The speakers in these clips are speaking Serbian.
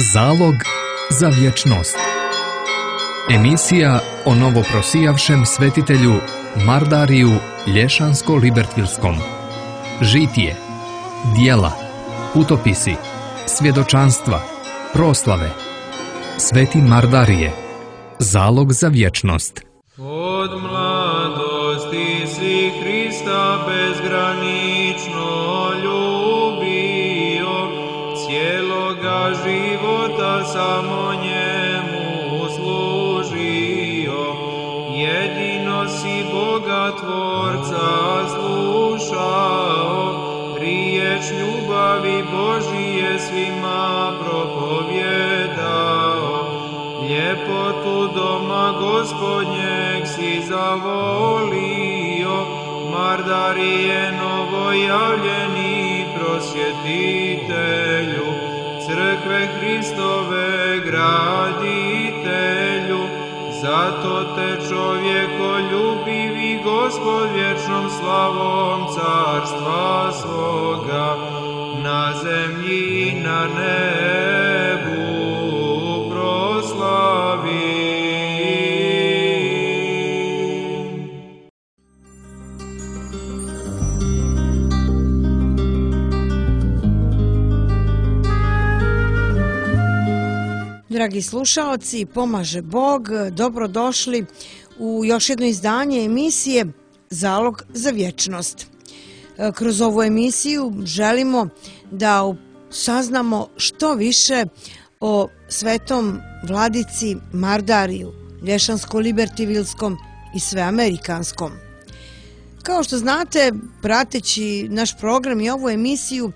Zalog za vječnost. Emisija o novoprosijavšem svetitelju Mardariju Lješansko-Libertvilskom. Žitije, dijela, putopisi, svjedočanstva, proslave. Sveti Mardarije. Zalog za vječnost. Od mladosti si Hrista bezgranično ljubio, cijeloga života samo njemu služio. Jedino si Boga Tvorca slušao, riječ ljubavi Božije svima propovijedao. Ljepotu doma Gospodnjeg si zavolio, Mardarije novojavljeni prosvjetitelju, crkve Hristove graditelju. Zato te čovjekoljubivi Gospod vječnom slavom carstva svoga na zemlji i na nebu proslavi. Dragi slušaoci, pomaže Bog, dobrodošli u još jedno izdanje emisije Zalog za vječnost. Kroz ovu emisiju želimo da saznamo što više o svetom vladici Mardariju, Lješansko-Libertvilskom i Sveamerikanskom. Kao što znate, prateći naš program i ovu emisiju,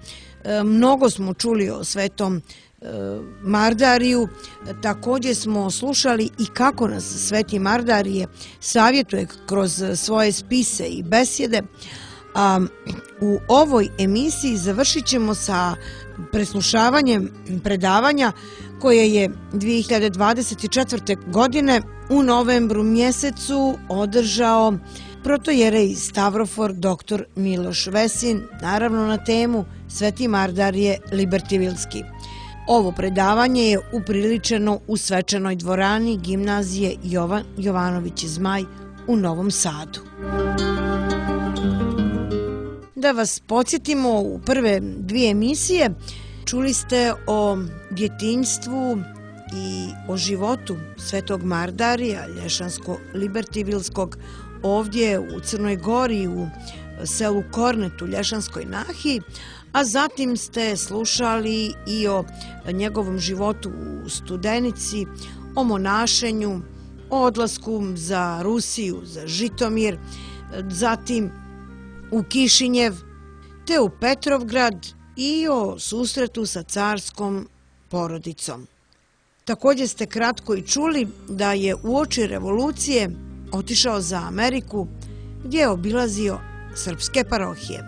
mnogo smo čuli o svetom Mardariju. Također smo slušali i kako nas sveti Mardarije savjetuje kroz svoje spise i besjede. A u ovoj emisiji završit ćemo sa preslušavanjem predavanja koje je 2024. godine u novembru mjesecu održao protojerej Stavrofor dr. Miloš Vesin, naravno na temu Sveti Mardarije Libertvilski. Ovo predavanje je upriličeno u svečanoj dvorani gimnazije Jovan Jovanović Zmaj u Novom Sadu. Da vas podsjetimo, u prve dvije emisije čuli ste o djetinjstvu i o životu svetog Mardarija Lješansko-Libertvilskog ovdje u Crnoj Gori, u selu Kornet u Lješanskoj Nahiji, a zatim ste slušali i o njegovom životu u Studenici, o monašenju, o odlasku za Rusiju, za Žitomir, zatim u Kišinjev, te u Petrovgrad i o susretu sa carskom porodicom. Također ste kratko i čuli da je uoči revolucije otišao za Ameriku, gdje je obilazio srpske parohije.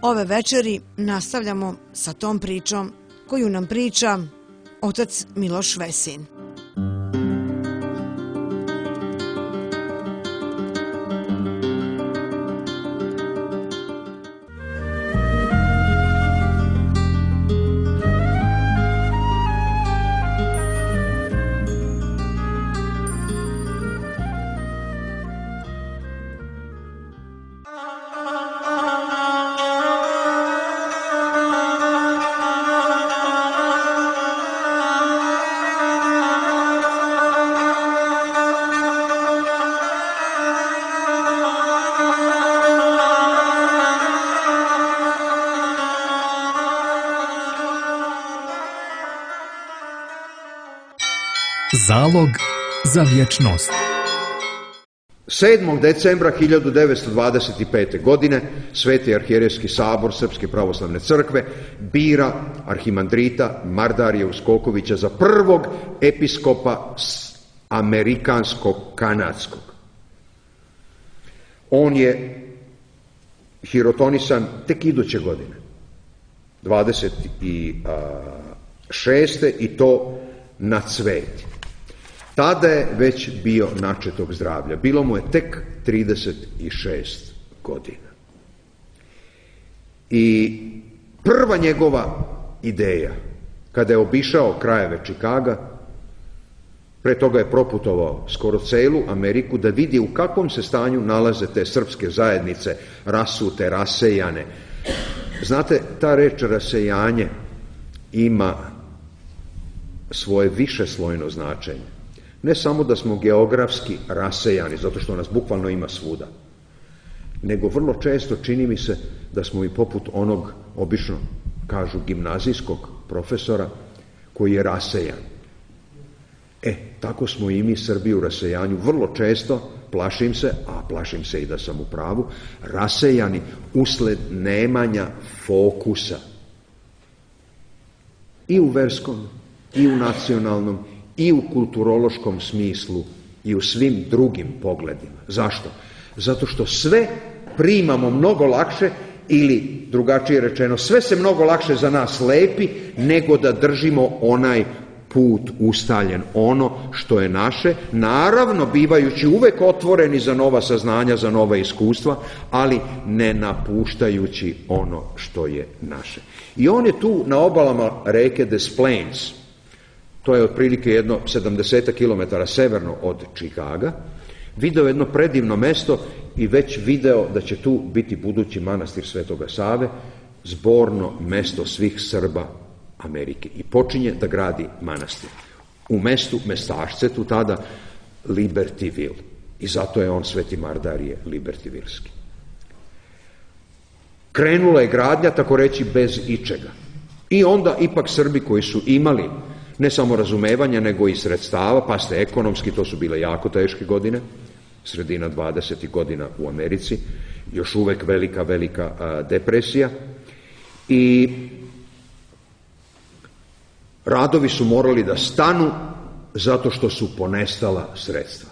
Ove večeri nastavljamo sa tom pričom koju nam priča otac Miloš Vesin. Zalog za vječnost. 7. decembra 1925. godine Sveti arhijerejski sabor Srpske pravoslavne crkve bira arhimandrita Mardarija Uskokovića za prvog episkopa amerikansko-kanadskog. On je hirotonisan tek iduće godine, 26. i to na Cveti. Tada je već bio načetog zdravlja. Bilo mu je tek 36 godina. I prva njegova ideja kada je obišao krajeve Čikaga, pre toga je proputovao skoro celu Ameriku da vidi u kakvom se stanju nalaze te srpske zajednice, rasute, rasejane. Znate, ta reč rasejanje ima svoje višeslojno značenje. Ne samo da smo geografski rasejani, zato što nas bukvalno ima svuda, nego vrlo često čini mi se da smo i poput onog, obično kažu, gimnazijskog profesora koji je rasejan. Tako smo i mi Srbi u rasejanju vrlo često, plašim se, a plašim se i da sam u pravu, rasejani usled nemanja fokusa i u verskom, i u nacionalnom, i u kulturološkom smislu, i u svim drugim pogledima. Zašto? Zato što sve primamo mnogo lakše, ili drugačije rečeno, sve se mnogo lakše za nas lepi, nego da držimo onaj put ustaljen, ono što je naše, naravno bivajući uvek otvoreni za nova saznanja, za nova iskustva, ali ne napuštajući ono što je naše. I on je tu na obalama reke Des Plaines, to je otprilike jedno 70 km severno od Čikaga, video jedno predivno mesto i već video da će tu biti budući manastir Svetoga Save, zborno mesto svih Srba Amerike, i počinje da gradi manastir u mestu Mestašcetu, tada Libertyville, i zato je on Sveti Mardarije Libertyvilski. Krenula je gradnja, tako reći, bez ičega. I onda ipak Srbi koji su imali ne samo razumevanja, nego i sredstava, pa ste ekonomski, to su bile jako teške godine, sredina 20. godina u Americi, još uvek velika depresija, i radovi su morali da stanu zato što su ponestala sredstva.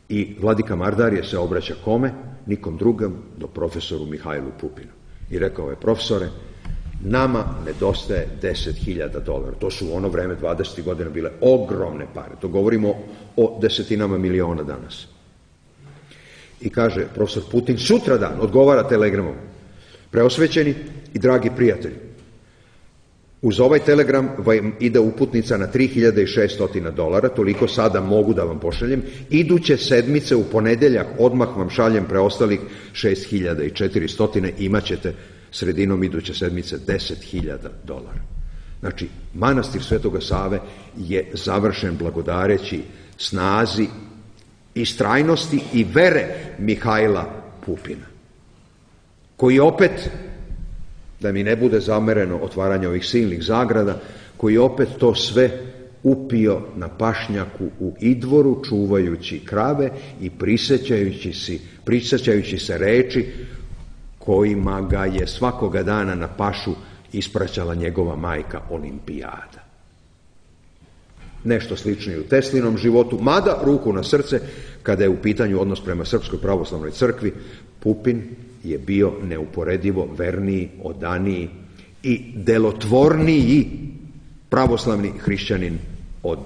I vladika Mardarije se obraća kome? Nikom drugom do profesoru Mihajlu Pupinu. I rekao je: profesore, nama nedostaje $10.000. To su u ono vreme 20. godina bile ogromne pare. To govorimo o desetinama miliona danas. I kaže profesor Putin, sutradan odgovara telegramom: preosvećeni i dragi prijatelji, uz ovaj telegram vam ide uputnica na $3.600, toliko sada mogu da vam pošaljem. Iduće sedmice u ponedeljak odmah vam šaljem preostalih 6.400, imat ćete sredinom iduće sedmice $10.000. Znači, manastir Svetoga Save je završen blagodareći snazi, istrajnosti i vere Mihajla Pupina, koji opet, da mi ne bude zamereno otvaranje ovih silnih zagrada, koji opet to sve upio na pašnjaku u Idvoru, čuvajući krave i prisjećajući se reči kojima ga je svakoga dana na pašu ispraćala njegova majka Olimpijada. Nešto slično i u Teslinom životu, mada, ruku na srce, kada je u pitanju odnos prema Srpskoj pravoslavnoj crkvi, Pupin je bio neuporedivo verniji, odaniji i delotvorniji pravoslavni hrišćanin od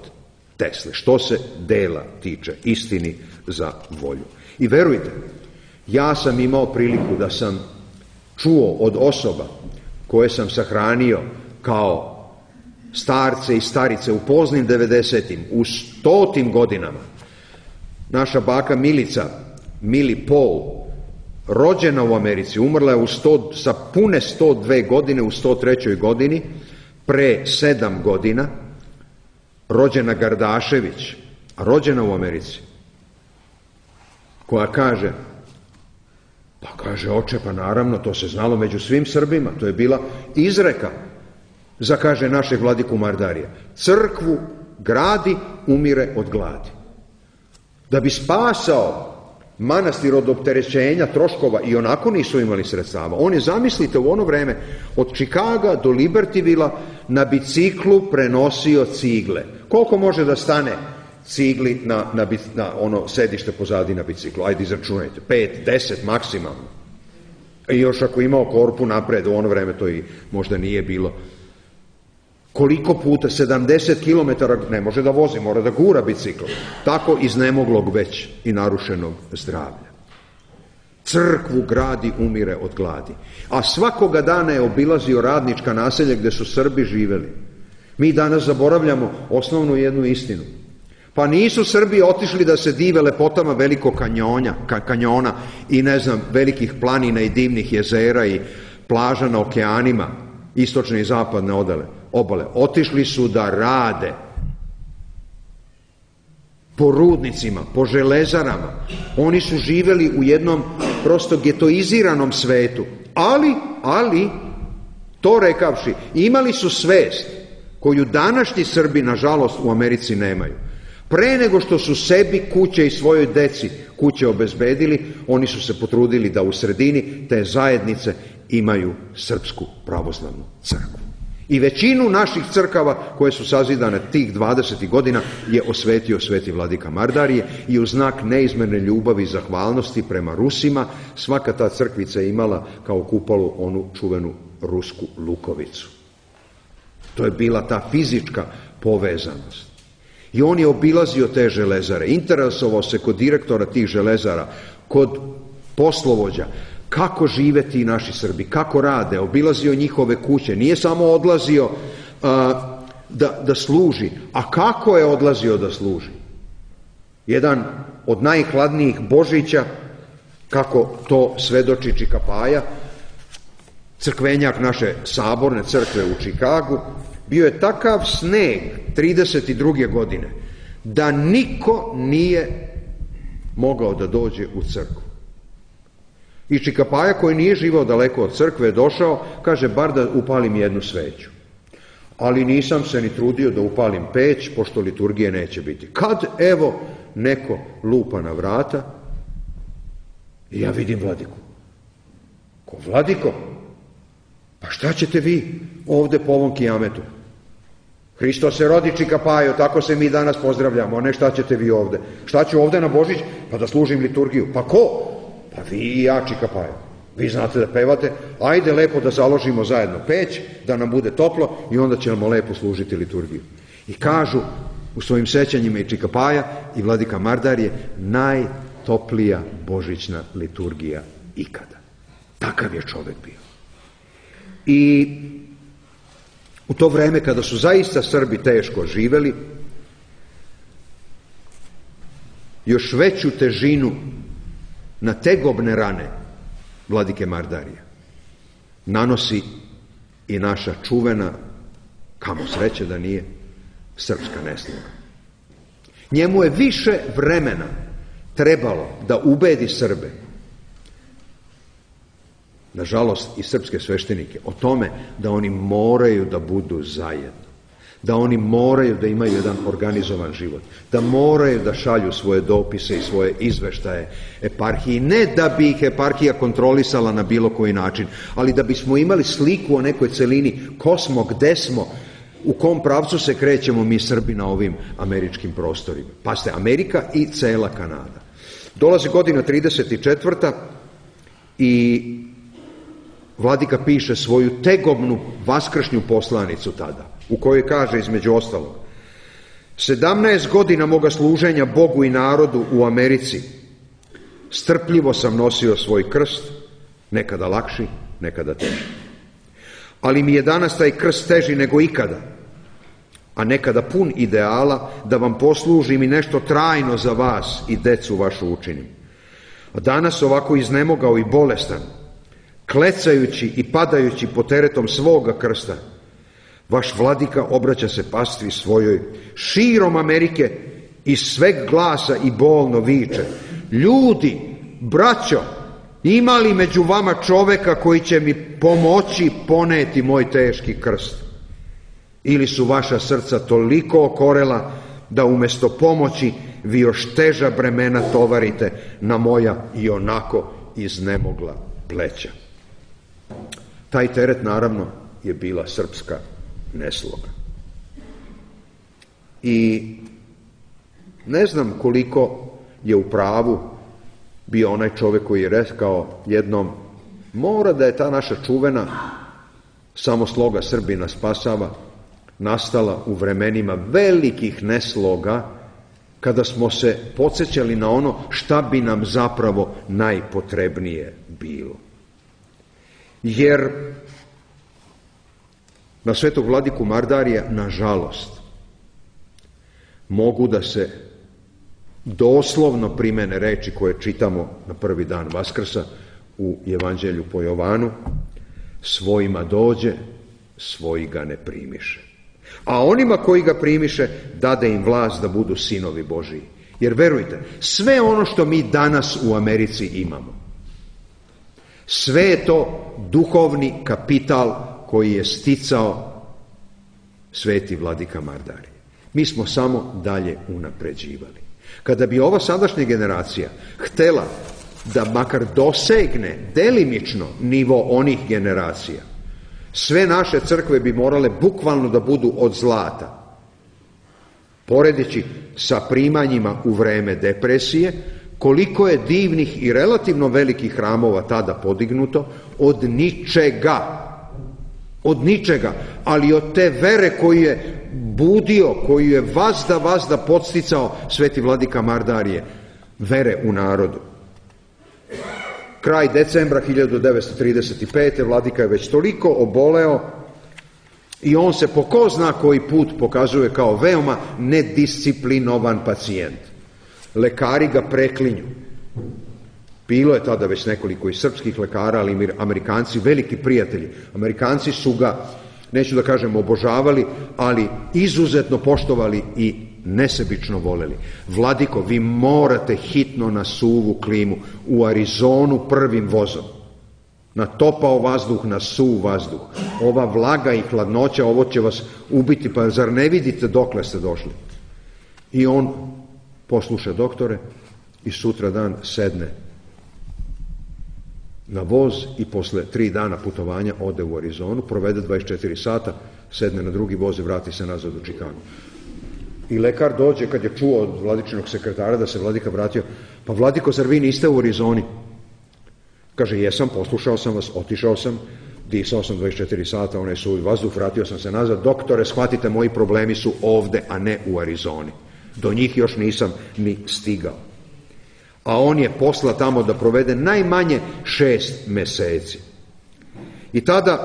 Tesle, što se dela tiče, istini za volju. I verujte, ja sam imao priliku da sam čuo od osoba koje sam sahranio kao starce i starice u poznim 90-im, u 100-tim godinama. Naša baka Milica, Mili Paul, rođena u Americi, umrla je sa pune 102 godine u 103. godini, pre 7 godina, rođena Gardašević, rođena u Americi, koja kaže, oče, pa naravno, to se znalo među svim Srbima, to je bila izreka za, kaže, našeg vladiku Mardarija: crkvu gradi, umire od gladi. Da bi spasao manastir od opterećenja troškova, i onako nisu imali sredstava. On je, zamislite, u ono vreme od Čikaga do Libertyvilla na biciklu prenosio cigle. Koliko može da stane cigli na ono sedište pozadi na biciklu? Ajde, izračunajte. 5, 10 maksimalno. I još ako imao korpu napred, u ono vreme to i možda nije bilo. Koliko puta? 70 km ne može da vozi, mora da gura bicikl. Tako iznemoglog već i narušenog zdravlja. Crkvu gradi, umire od gladi. A svakoga dana je obilazio radnička naselja gde su Srbi živeli. Mi danas zaboravljamo osnovnu jednu istinu. Pa nisu Srbi otišli da se dive lepotama velikog kanjona i velikih planina i divnih jezera i plaža na okeanima, istočne i zapadne obale. Otišli su da rade po rudnicima, po železarama. Oni su živeli u jednom prosto getoiziranom svetu. Ali, to rekavši, imali su svest koju današnji Srbi, nažalost, u Americi nemaju. Pre nego što su sebi kuće i svojoj deci kuće obezbedili, oni su se potrudili da u sredini te zajednice imaju Srpsku pravoslavnu crkvu. I većinu naših crkava koje su sazidane tih 20 godina je osvetio sveti vladika Mardarije i u znak neizmerne ljubavi i zahvalnosti prema Rusima svaka ta crkvica je imala kao kupolu onu čuvenu rusku lukovicu. To je bila ta fizička povezanost. I on je obilazio te železare, interesovao se kod direktora tih železara, kod poslovođa, kako žive ti naši Srbi, kako rade, obilazio njihove kuće, nije samo odlazio da služi, a kako je odlazio da služi. Jedan od najhladnijih Božića, kako to svedoči Čika Paja, crkvenjak naše saborne crkve u Čikagu, bio je takav sneg 32. godine da niko nije mogao da dođe u crkvu. I Čika Paja, koji nije živao daleko od crkve, je došao, kaže, bar da upalim jednu sveću. Ali nisam se ni trudio da upalim peć, pošto liturgije neće biti. Kad, evo, neko lupa na vrata i ja vidim vladiku. Ko vladiko? Pa šta ćete vi ovde po ovom kijametu? Hristos se rodi, Čika Pajo, tako se mi danas pozdravljamo, a ne šta ćete vi ovde. Šta ću ovde na Božić? Pa da služim liturgiju. Pa ko? Pa vi i ja, Čika Pajo. Vi znate da pevate, ajde lepo da založimo zajedno peć, da nam bude toplo i onda ćemo lepo služiti liturgiju. I kažu u svojim sećanjima i Čika Paja i vladika Mardarije, najtoplija božićna liturgija ikada. Takav je čovek bio. I u to vreme kada su zaista Srbi teško živeli, još veću težinu na tegobne rane vladike Mardarija nanosi i naša čuvena, kamo sreće da nije, srpska nesloga. Njemu je više vremena trebalo da ubedi Srbe, nažalost i srpske sveštenike, o tome da oni moraju da budu zajedno, da oni moraju da imaju jedan organizovan život, da moraju da šalju svoje dopise i svoje izveštaje eparhiji, ne da bi ih eparhija kontrolisala na bilo koji način, ali da bismo imali sliku o nekoj celini, ko smo, gde smo, u kom pravcu se krećemo mi Srbi na ovim američkim prostorima. Pazite, Amerika i cela Kanada. Dolazi godina 34. i vladika piše svoju tegobnu vaskršnju poslanicu tada, u kojoj kaže između ostalog: 17 godina moga služenja Bogu i narodu u Americi strpljivo sam nosio svoj krst, nekada lakši, nekada teži. Ali mi je danas taj krst teži nego ikada, a nekada pun ideala da vam poslužim i nešto trajno za vas i decu vašu učinim. A danas ovako iznemogao i bolestan, klecajući i padajući pod teretom svoga krsta, vaš vladika obraća se pastvi svojoj širom Amerike i sveg glasa i bolno viče: ljudi, braćo, ima li među vama čoveka koji će mi pomoći poneti moj teški krst? Ili su vaša srca toliko okorela da umesto pomoći vi još teža bremena tovarite na moja i onako iznemogla pleća? Taj teret, naravno, je bila srpska nesloga. I ne znam koliko je u pravu bio onaj čovek koji je rekao jednom: mora da je ta naša čuvena samo sloga Srbina spasava nastala u vremenima velikih nesloga, kada smo se podsjećali na ono šta bi nam zapravo najpotrebnije bilo. Jer na svetog vladiku Mardarija, nažalost, mogu da se doslovno primene reči koje čitamo na prvi dan Vaskrsa u Evanđelju po Jovanu: svojima dođe, svoji ga ne primiše. A onima koji ga primiše, dade im vlast da budu sinovi Božiji. Jer verujte, sve ono što mi danas u Americi imamo, sve je to duhovni kapital koji je sticao sveti vladika Mardarij. Mi smo samo dalje unapređivali. Kada bi ova sadašnja generacija htela da makar dosegne delimično nivo onih generacija, sve naše crkve bi morale bukvalno da budu od zlata. Poredeći sa primanjima u vreme depresije, koliko je divnih i relativno velikih hramova tada podignuto od ničega. Od ničega, ali od te vere koju je budio, koju je vazda podsticao sveti vladika Mardarije, vere u narodu. Kraj decembra 1935. vladika je već toliko oboleo i on se po ko zna koji put pokazuje kao veoma nedisciplinovan pacijent. Lekari ga preklinju. Bilo je tada već nekoliko i srpskih lekara, ali i Amerikanci, veliki prijatelji. Amerikanci su ga, neću da kažem obožavali, ali izuzetno poštovali i nesebično voleli. Vladiko, vi morate hitno na suvu klimu u Arizonu prvim vozom. Na topao vazduh, na suv vazduh. Ova vlaga i hladnoća, ovo će vas ubiti, pa zar ne vidite dokle ste došli? I on posluša doktore i sutra dan sedne na voz i posle 3 dana putovanja ode u Arizonu, provede 24 sata, sedne na drugi voz i vrati se nazad u Čikagu. I lekar dođe, kad je čuo od vladičinog sekretara da se vladika vratio: pa vladiko, zar vi niste u Arizoni? Kaže: jesam, poslušao sam vas, otišao sam, disao sam 24 sata, onaj suvi vazduh, vratio sam se nazad. Doktore, shvatite, moji problemi su ovde, a ne u Arizoni. Do njih još nisam ni stigao. A on je posla tamo da provede najmanje 6 meseci. I tada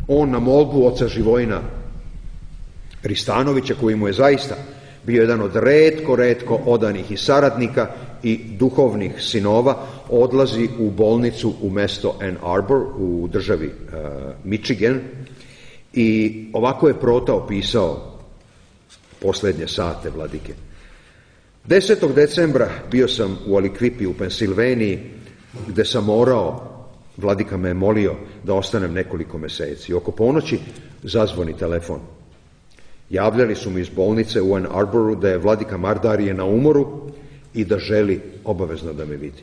on na molbu oca Živojina Ristanovića, koji mu je zaista bio jedan od retko odanih i saradnika i duhovnih sinova, odlazi u bolnicu u mesto Ann Arbor u državi Michigan i ovako je Prota opisao poslednje sate vladike. 10. decembra bio sam u Alikvipi u Pensilveniji, gde sam morao, vladika me je molio da ostanem nekoliko meseci. Oko ponoći zazvoni telefon. Javljali su mi iz bolnice u Ann Arboru da je vladika Mardarije na umoru i da želi obavezno da me vidi.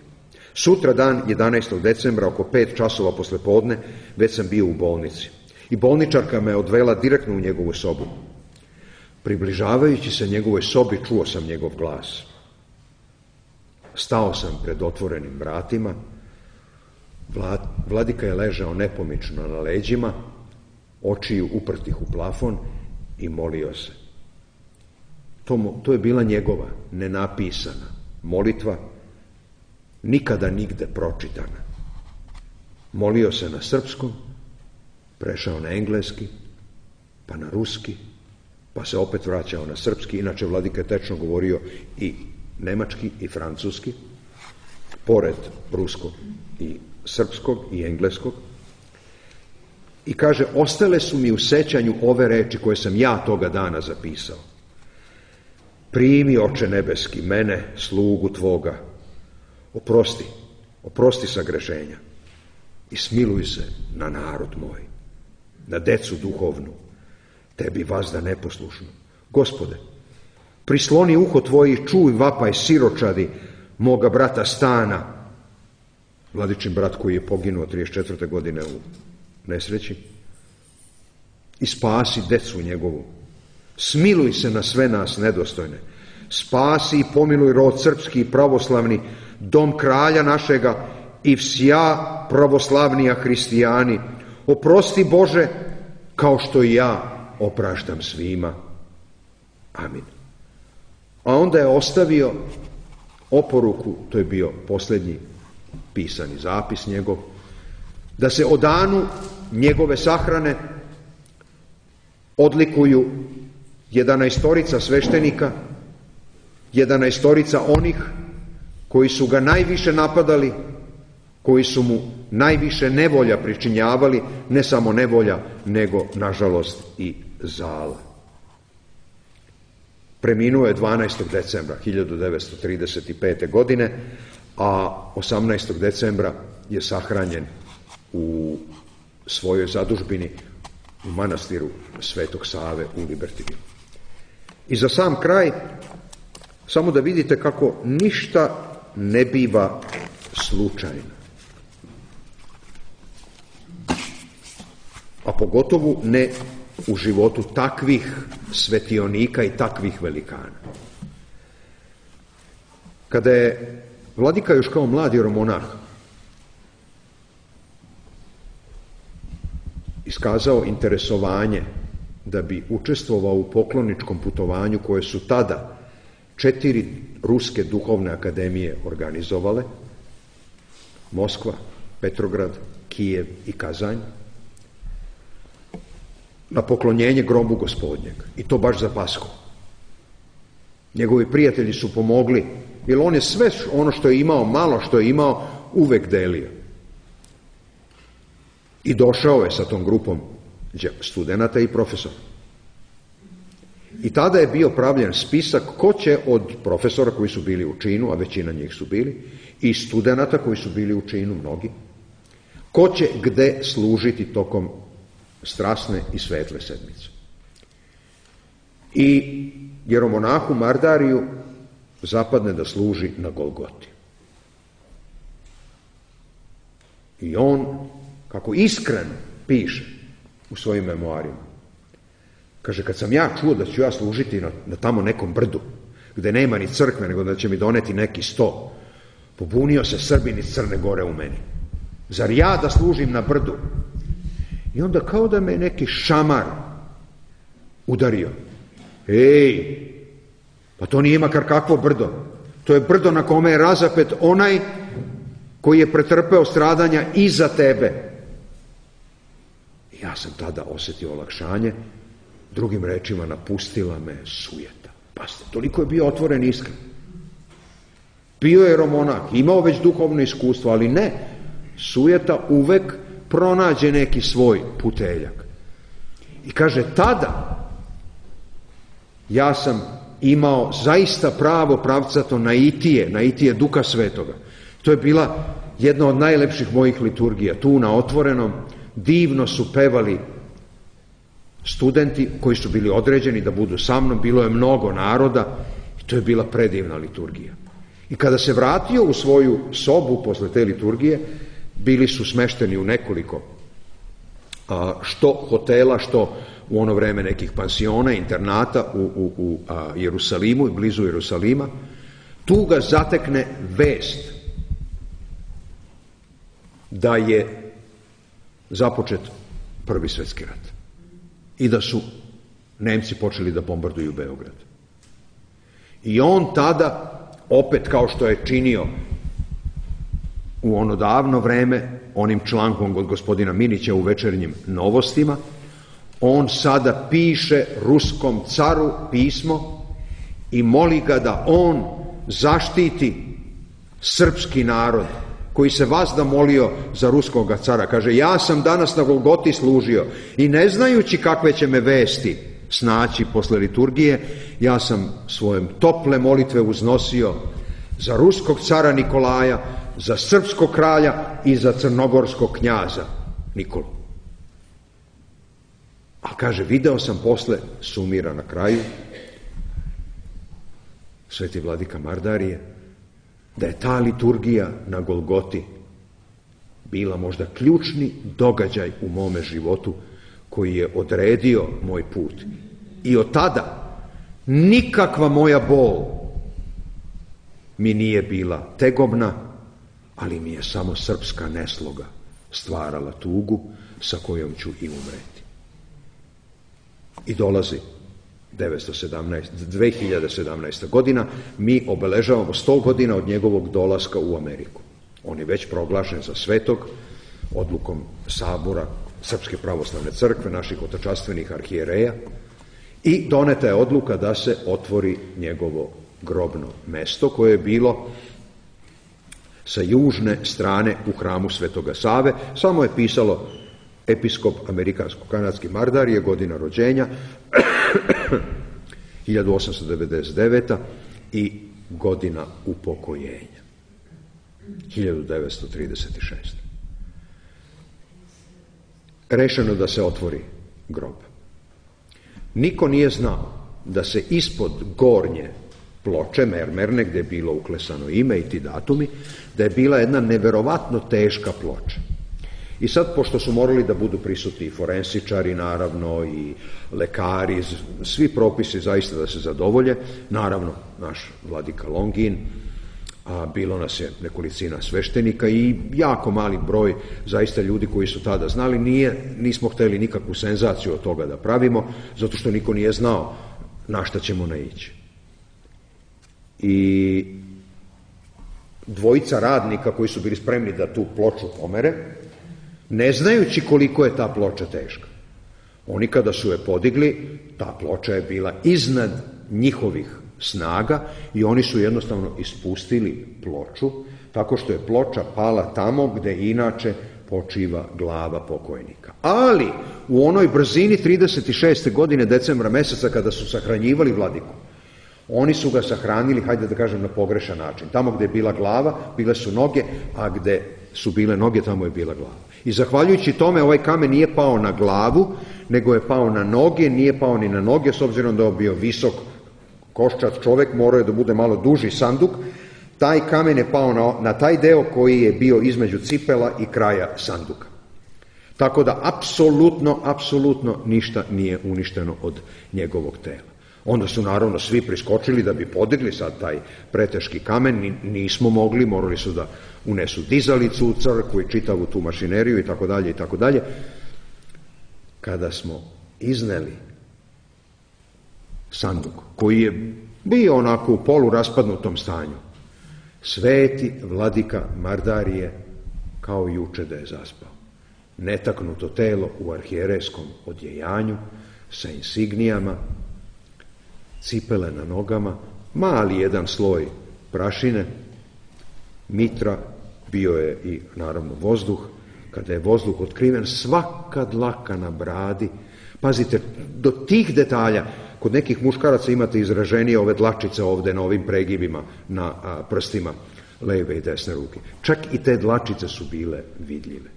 Sutra dan, 11. decembra, oko 5 časova posle podne, već sam bio u bolnici. I bolničarka me odvela direktno u njegovu sobu. Približavajući se njegovoj sobi, čuo sam njegov glas. Stao sam pred otvorenim vratima. Vladika je ležao nepomično na leđima, očiju uprtih u plafon, i molio se. To je bila njegova nenapisana molitva, nikada nigde pročitana. Molio se na srpskom, prešao na engleski, pa na ruski, pa se opet vraćao na srpski. Inače, vladika je tečno govorio i nemački i francuski, pored ruskog i srpskog i engleskog. I kaže: ostale su mi u sećanju ove reči koje sam ja toga dana zapisao. Primi, Oče nebeski, mene, slugu tvoga, oprosti sagrešenja i smiluj se na narod moj, na decu duhovnu, tebi vazda neposlušnu. Gospode, prisloni uho tvoje i čuj vapaj siročadi moga brata Stana, vladičin brat koji je poginuo 34. godine u nesreći, i spasi decu njegovu. Smiluj se na sve nas nedostojne. Spasi i pomiluj rod srpski i pravoslavni, dom kralja našega i vsja pravoslavnija hristijani. Oprosti, Bože, kao što i ja opraštam svima. Amin. A onda je ostavio oporuku, to je bio posljednji pisani zapis njegov, da se o danu njegove sahrane odlikuju 11 sveštenika, 11 onih koji su ga najviše napadali, koji su mu najviše nevolja pričinjavali, ne samo nevolja, nego, nažalost, i zala. Preminuo je 12. decembra 1935. godine, a 18. decembra je sahranjen u svojoj zadužbini u manastiru Svetog Save u Libertivilu. I za sam kraj, samo da vidite kako ništa ne biva slučajno. A pogotovo ne u životu takvih svetionika i takvih velikana. Kada je vladika još kao mlad jeromonah iskazao interesovanje da bi učestvovao u pokloničkom putovanju koje su tada 4 ruske duhovne akademije organizovale, Moskva, Petrograd, Kijev i Kazanj, na poklonjenje grobu Gospodnjeg, i to baš za Pashu. Njegovi prijatelji su pomogli, jer on je sve ono što je imao, malo što je imao, uvek delio. I došao je sa tom grupom studenata i profesora. I tada je bio pravljen spisak ko će od profesora koji su bili u činu, a većina njih su bili, i studenata koji su bili u činu, mnogi, ko će gde služiti tokom strasne i svetle sedmice. I jeromonahu Mardariju zapadne da služi na Golgoti. I on, kako iskreno piše u svojim memoarima, kaže, kad sam ja čuo da ću ja služiti na tamo nekom brdu, gde nema ni crkve, nego da će mi doneti neki sto, pobunio se Srbin iz Crne Gore u meni. Zar ja da služim na brdu? I onda kao da me neki šamar udario. Ej, pa to nije makar kakvo brdo. To je brdo na kome je razapet onaj koji je pretrpeo stradanja i za tebe. I ja sam tada osetio olakšanje, drugim rečima napustila me sujeta. Pazite, toliko je bio otvoren i iskren. Bio je jeromonah, imao već duhovno iskustvo, ali ne, sujeta uvek pronađe neki svoj puteljak. I kaže, tada ja sam imao zaista pravo pravcato naitije Duha Svetoga. To je bila jedna od najlepših mojih liturgija. Tu na otvorenom divno su pevali studenti koji su bili određeni da budu sa mnom, bilo je mnogo naroda i to je bila predivna liturgija. I kada se vratio u svoju sobu posle te liturgije, bili su smešteni u nekoliko što hotela, što u ono vreme nekih pansiona, internata u Jerusalimu i blizu Jerusalima. Tu ga zatekne vest da je započet Prvi svetski rat i da su Nemci počeli da bombarduju Beograd. I on tada, opet kao što je činio u ono davno vreme, onim člankom od gospodina Minića u Večernjim novostima, on sada piše ruskom caru pismo i moli ga da on zaštiti srpski narod koji se vazda molio za ruskog cara. Kaže, ja sam danas na Golgoti služio i ne znajući kakve će me vesti snaći posle liturgije, ja sam svojem tople molitve uznosio za ruskog cara Nikolaja, za srpskog kralja i za crnogorskog knjaza Nikolu. A kaže, video sam posle, sumira na kraju, sveti vladika Mardarije, da je ta liturgija na Golgoti bila možda ključni događaj u mome životu koji je odredio moj put. I od tada nikakva moja bol mi nije bila tegobna, ali mi je samo srpska nesloga stvarala tugu sa kojom ću i umreti. I dolazi 2017. godina, mi obeležavamo 100 godina od njegovog dolaska u Ameriku. On je već proglašen za svetog odlukom sabora Srpske pravoslavne crkve, naših otačastvenih arhijereja, i doneta je odluka da se otvori njegovo grobno mesto koje je bilo sa južne strane u hramu Svetoga Save. Samo je pisalo episkop amerikansko-kanadski Mardarije, godina rođenja 1899. i godina upokojenja 1936. Rešeno da se otvori grob. Niko nije znao da se ispod gornje ploče mermerne, gde je bilo uklesano ime i ti datumi, da je bila jedna neverovatno teška ploča. I sad, pošto su morali da budu prisutni i forensičari, naravno, i lekari, svi propisi zaista da se zadovolje, naravno, naš vladika Longin, a bilo nas je nekolicina sveštenika i jako mali broj zaista ljudi koji su tada znali. Nismo hteli nikakvu senzaciju od toga da pravimo, zato što niko nije znao na šta ćemo naići. I dvojica radnika koji su bili spremni da tu ploču pomere, ne znajući koliko je ta ploča teška. Oni kada su je podigli, ta ploča je bila iznad njihovih snaga i oni su jednostavno ispustili ploču, tako što je ploča pala tamo gde inače počiva glava pokojnika. Ali u onoj brzini 36. godine decembra meseca kada su sahranjivali vladiku, oni su ga sahranili, hajde da kažem, na pogrešan način. Tamo gde je bila glava, bile su noge, a gde su bile noge, tamo je bila glava. I zahvaljujući tome ovaj kamen nije pao na glavu, nego je pao na noge, nije pao ni na noge, s obzirom da je bio visok koščat čovek, morao je da bude malo duži sanduk. Taj kamen je pao na taj deo koji je bio između cipela i kraja sanduka. Tako da apsolutno ništa nije uništeno od njegovog tela. Onda su naravno svi priskočili da bi podigli sad taj preteški kamen, nismo mogli, morali su da unesu dizalicu u crkvu i čitavu tu mašineriju i tako dalje. Kada smo izneli sanduk, koji je bio onako u poluraspadnutom stanju, sveti vladika Mardarije kao juče da je zaspao. Netaknuto telo u arhijerejskom odjejanju, sa insignijama, cipele na nogama, mali jedan sloj prašine, mitra, bio je i naravno vozduh. Kada je vozduh otkriven, svaka dlaka na bradi, pazite, do tih detalja, kod nekih muškaraca imate izraženije ove dlačice ovde na ovim pregibima, na prstima leve i desne ruke. Čak i te dlačice su bile vidljive.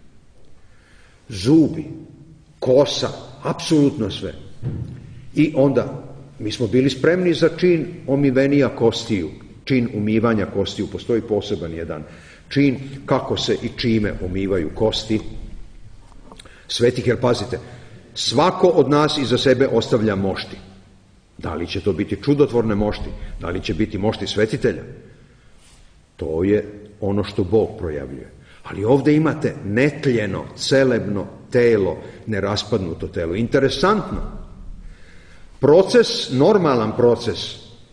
Zubi, kosa, apsolutno sve. I onda mi smo bili spremni za čin omivenija kostiju, čin umivanja kostiju. Postoji poseban jedan čin kako se i čime umivaju kosti svetih, jer pazite, svako od nas iza sebe ostavlja mošti. Da li će to biti čudotvorne mošti, da li će biti mošti svetitelja, to je ono što Bog projavljuje. Ali ovde imate netljeno, celebno telo, neraspadnuto telo. Interesantno, normalan proces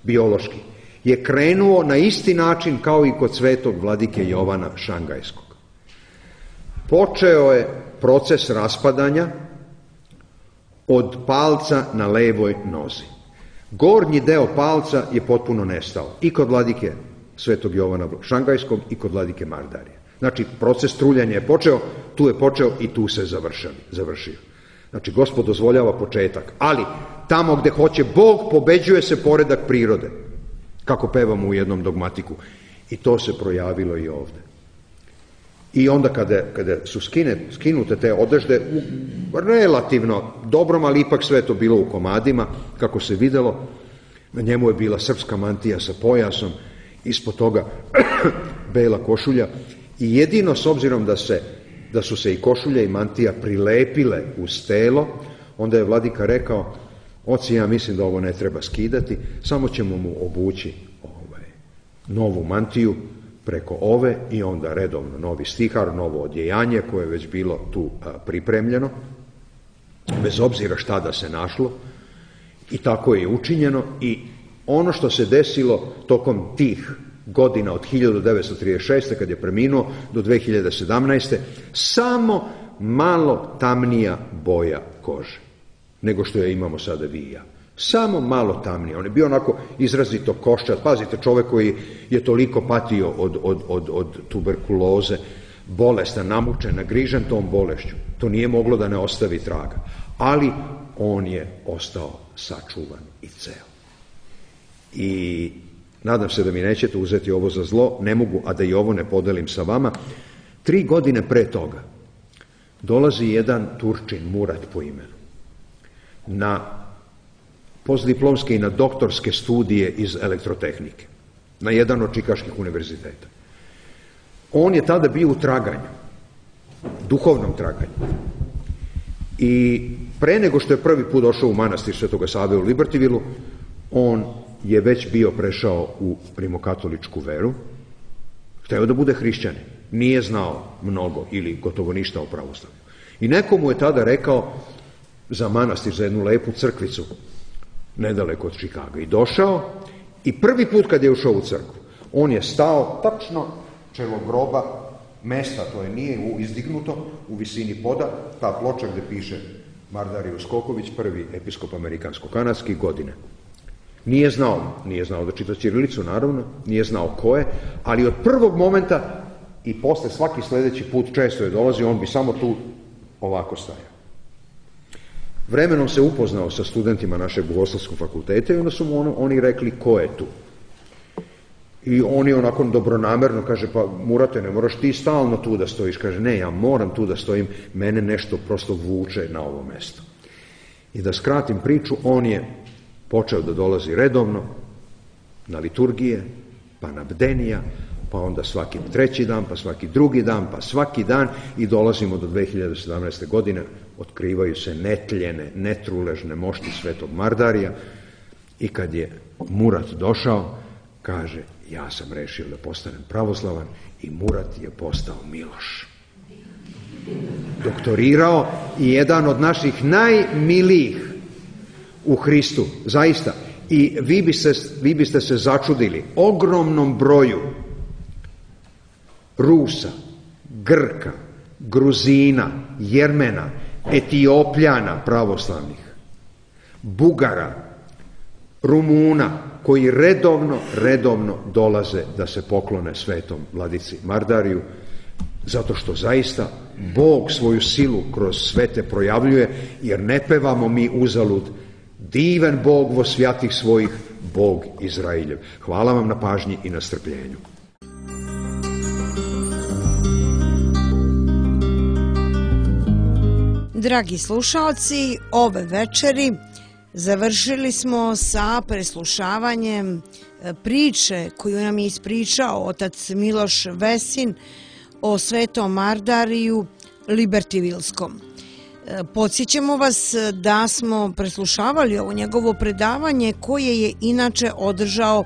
biološki je krenuo na isti način kao i kod svetog vladike Jovana Šangajskog. Počeo je proces raspadanja od palca na levoj nozi. Gornji deo palca je potpuno nestao i kod vladike svetog Jovana Šangajskog i kod vladike Mardarije. Znači, proces truljanja je počeo, tu je počeo i tu se završio. Znači, Gospod dozvoljava početak, ali tamo gde hoće Bog, pobeđuje se poredak prirode, kako pevamo u jednom dogmatiku. I to se projavilo i ovde. I onda kada su skinute te odežde, relativno dobrom, ali ipak sve to bilo u komadima, kako se videlo, na njemu je bila srpska mantija sa pojasom, ispod toga bela košulja, i jedino s obzirom da su se i košulja i mantija prilepile uz telo, onda je vladika rekao: oci, ja mislim da ovo ne treba skidati, samo ćemo mu obući novu mantiju preko ove i onda redovno novi stihar, novo odjejanje koje je već bilo tu pripremljeno, bez obzira šta da se našlo, i tako je učinjeno. I ono što se desilo tokom tih godina od 1936. kad je preminuo do 2017. samo malo tamnija boja kože nego što je imamo sada vi i ja. Samo malo tamnije. On je bio onako izrazito koščat. Pazite, čovjek koji je toliko patio od tuberkuloze, bolestan, namučen, nagrižen tom bolešću. To nije moglo da ne ostavi traga. Ali on je ostao sačuvan i ceo. I nadam se da mi nećete uzeti ovo za zlo, ne mogu, a da i ovo ne podelim sa vama. 3 godine pre toga dolazi jedan Turčin, Murat po imenu, na postdiplomske i na doktorske studije iz elektrotehnike, na jedan od čikaških univerziteta. On je tada bio u traganju, duhovnom traganju. I pre nego što je prvi put došao u manastir Svetoga Save u Libertivilu, on je već bio prešao u rimokatoličku veru, hteo da bude hrišćanin, nije znao mnogo ili gotovo ništa o pravoslavlju. I neko mu je tada rekao za manastir, za jednu lepu crkvicu, nedaleko od Čikaga. I došao i prvi put kad je ušao u crkvu, on je stao tačno čelo groba, mesta, to je nije izdignuto, u visini poda, ta ploča gde piše Mardario Skoković, prvi episkop amerikansko-kanadski, godine. Nije znao da čita ćirilicu, naravno, nije znao ko je, ali od prvog momenta i posle svaki sledeći put često je dolazio, on bi samo tu ovako stajao. Vremenom se upoznao sa studentima našeg bogoslovskog fakulteta i onda su mu oni rekli ko je tu. I on je onako dobronamerno kaže, pa Murate, ne moraš ti stalno tu da stojiš. Kaže, ne, ja moram tu da stojim, mene nešto prosto vuče na ovo mesto. I da skratim priču, on je počeo da dolazi redovno na liturgije, pa na bdenija, pa onda svaki 3. dan, pa svaki 2. dan, pa svaki dan i dolazimo do 2017. godine, otkrivaju se netljene, netruležne mošti Svetog Mardarija i kad je Murat došao, kaže, ja sam rešio da postanem pravoslavan i Murat je postao Miloš. Doktorirao i jedan od naših najmilijih u Hristu, zaista. I vi biste se začudili ogromnom broju Rusa, Grka, Gruzina, Jermena, Etiopljana pravoslavnih, Bugara, Rumuna, koji redovno dolaze da se poklone svetom vladici Mardariju, zato što zaista Bog svoju silu kroz svete projavljuje, jer ne pevamo mi uzalud divan Bog vo svjatih svojih, Bog Izrailjev. Hvala vam na pažnji i na strpljenju. Dragi slušalci, ove večeri završili smo sa preslušavanjem priče koju nam je ispričao otac Miloš Vesin o svetom Mardariju Libertivilskom. Podsjećamo vas da smo preslušavali ovo njegovo predavanje koje je inače održao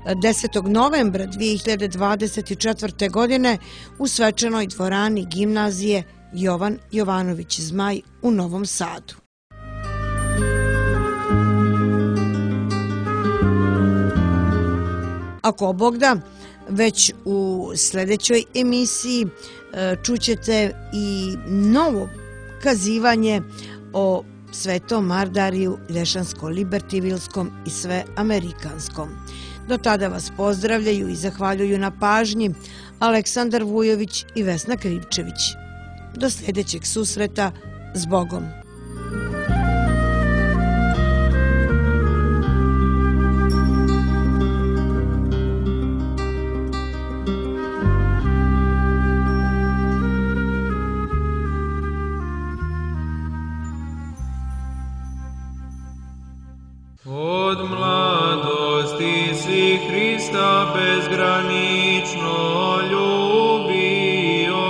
10. novembra 2024. godine u svečanoj dvorani gimnazije Jovan Jovanović Zmaj u Novom Sadu. Ako Bog da, već u sledećoj emisiji čućete i novo kazivanje o svetom Mardariju Lješansko-Libertivilskom i sveamerikanskom. Do tada vas pozdravljaju i zahvaljuju na pažnji Aleksandar Vujović i Vesna Krivčević. Do sljedećeg susreta, s Bogom! Od mladosti si Hrista bezgranično ljubio,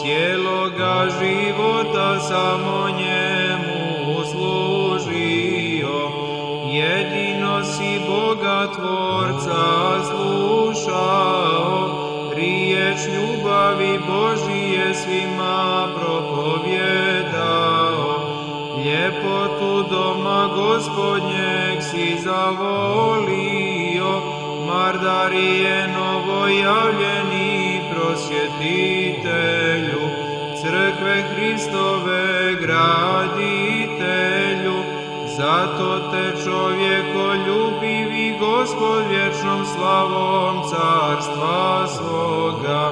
cijeloga života samo njemu služio. Jedino si Boga Tvorca slušao, riječ ljubavi Božije svima propovjedao. Ljepotu doma Gospodnjeg si zavolio, Mardarije novojavljeni prosvjetitelju. crkve Hristove graditelju, zato te čovjekoljubivi Gospod vječnom slavom carstva svoga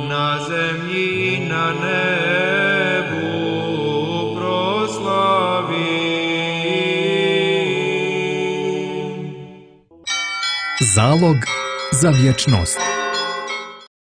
na zemlji i na nebu proslavi. Zalog za vječnost.